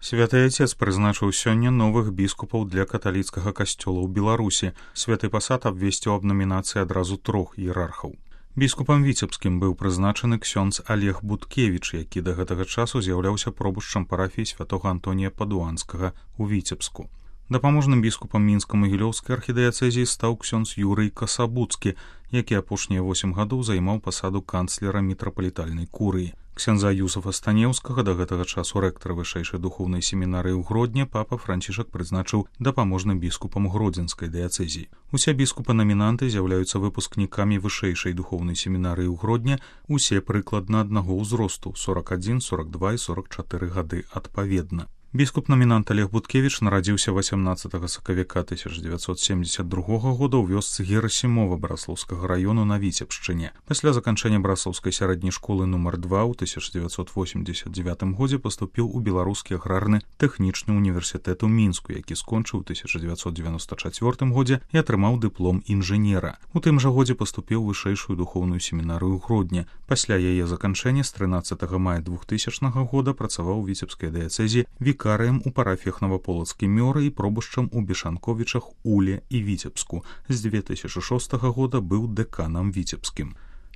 Святы Отец прызначыў сёння новых біскупаў для каталіцкага касцёла ў Беларусі. Святы пасад абвесціў аб намінацыі адразу 3 іерархаў. Біскупам віцебскім быў прызначаны ксёндз Олег Буткевіч, які да гэтага часу з'яўляўся пробушчам парафіі святога Антонія Падуанскага ў Віцебску. Дапаможным біскупам мінска-магілёўскай архідыяцэзіі стаў ксёндз Юрый Касабуцкі, які апошнія 8 гадоў займаў пасаду канцлера мітрапалітальнай курыі. Ксяндза Юсафа Станеўскага, да гэтага часу рэктара вышэйшай духоўнай семінарыі ў Гродні, папа Францішак прызначыў дапаможным біскупам гродзенскай дыяцэзіі. Усе біскупы-намінанты з'яўляюцца выпускнікамі вышэйшай духоўнай семінарыі ў Гродні, усе прыкладна аднаго ўзросту 41, 42 і 44 гады адпаведна. Біскуп-намінант Олег Буткевіч нарадзіўся 18 сакавіка 1972 года ў вёсцы Герасімова Браслаўскага раёну на Віцебшчыне. Пасля заканчэння Браслаўскай сярэдняй школы нумар 2 ў 1989 годзе паступіў у Беларускі аграрны тэхнічны універсітэт у Мінску, які скончыў у 1994 годзе і атрымаў дыплом інжынера. У тым жа годзе паступіў у вышэйшую духоўную семінарыю ў Гродні. Пасля яе заканчэння з 13 мая 2000 года працаваў у Віцебскай дыяцэзіі вікарыем у парафіях Наваполацкі Мёры і пробушчам у Бешанковічах, Уле і Віцебску. З 2006 года быў дэканам віцебскім.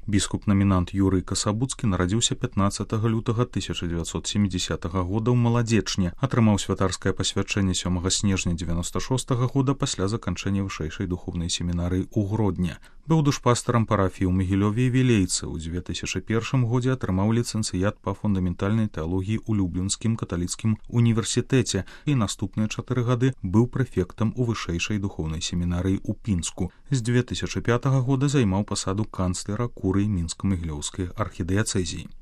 Біскуп-намінант Юрый Касабуцкі нарадзіўся 15 лютага 1970 года ў Маладзечне, атрымаў святарскае пасвячэнне 7 снежня 96 года пасля заканчэння вышэйшай духоўнай семінарыі ў Гродні. Быў душпастарам парафіі ў Магілёве і Вілейцы. У 2001 годзе атрымаў ліцэнцыят па фундаментальнай тэалогіі ў Люблінскім каталіцкім універсітэце і наступныя 4 гады быў прэфектам у вышэйшай духоўнай семінарыі ў Пінску. З 2005 года займаў пасаду канцлера курыі мінска-магілёўскай архідыяцэзіі.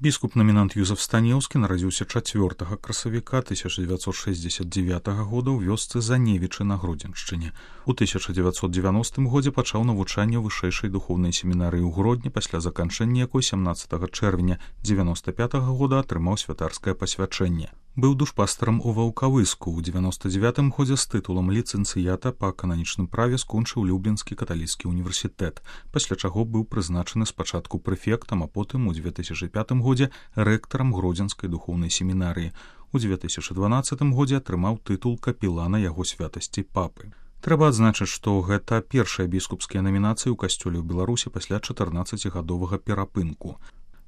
Біскуп-намінант Юзаф Станеўскі нарадзіўся 4 красавіка 1969 года ў вёсцы Заневічы на Гродзеншчыне. У 1990 годзе пачаў навучанне ў вышэйшай духоўнай семінарыі ў Гродні, пасля заканчэння якой 17 чэрвеня 1995 года атрымаў святарскае пасвячэнне. Быў душпастарам у Ваўкавыску. У 99 годзе з тытулам ліцэнцыята па кананічным праве скончыў Люблінскі каталіцкі універсітэт, пасля чаго быў прызначаны спачатку прэфектам, а потым у 2005 годзе рэктарам Гродзенскай духоўнай семінарыі. У 2012 годзе атрымаў тытул капелана яго святасці папы. Трэба адзначыць, што гэта першыя біскупскія намінацыі ў касцёле ў Беларусі пасля 14гадовага перапынку.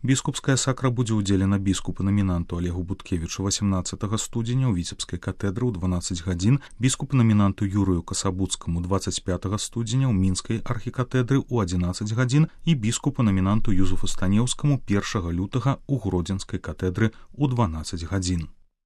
Біскупская сакра будзе ўдзелена біскупу-намінанту Олегу Буткевічу 18 студзеня ў Віцебскай катедры ў 12 гадзін, біскупу-намінанту Юрыю Касабуцкаму 25 студзеня ў Мінскай архікатэдры ў 11 гадзін і біскупу-намінанту Юзафу Станеўскаму 1 лютага ў Гродзенскай катедры ў 12 гадзін.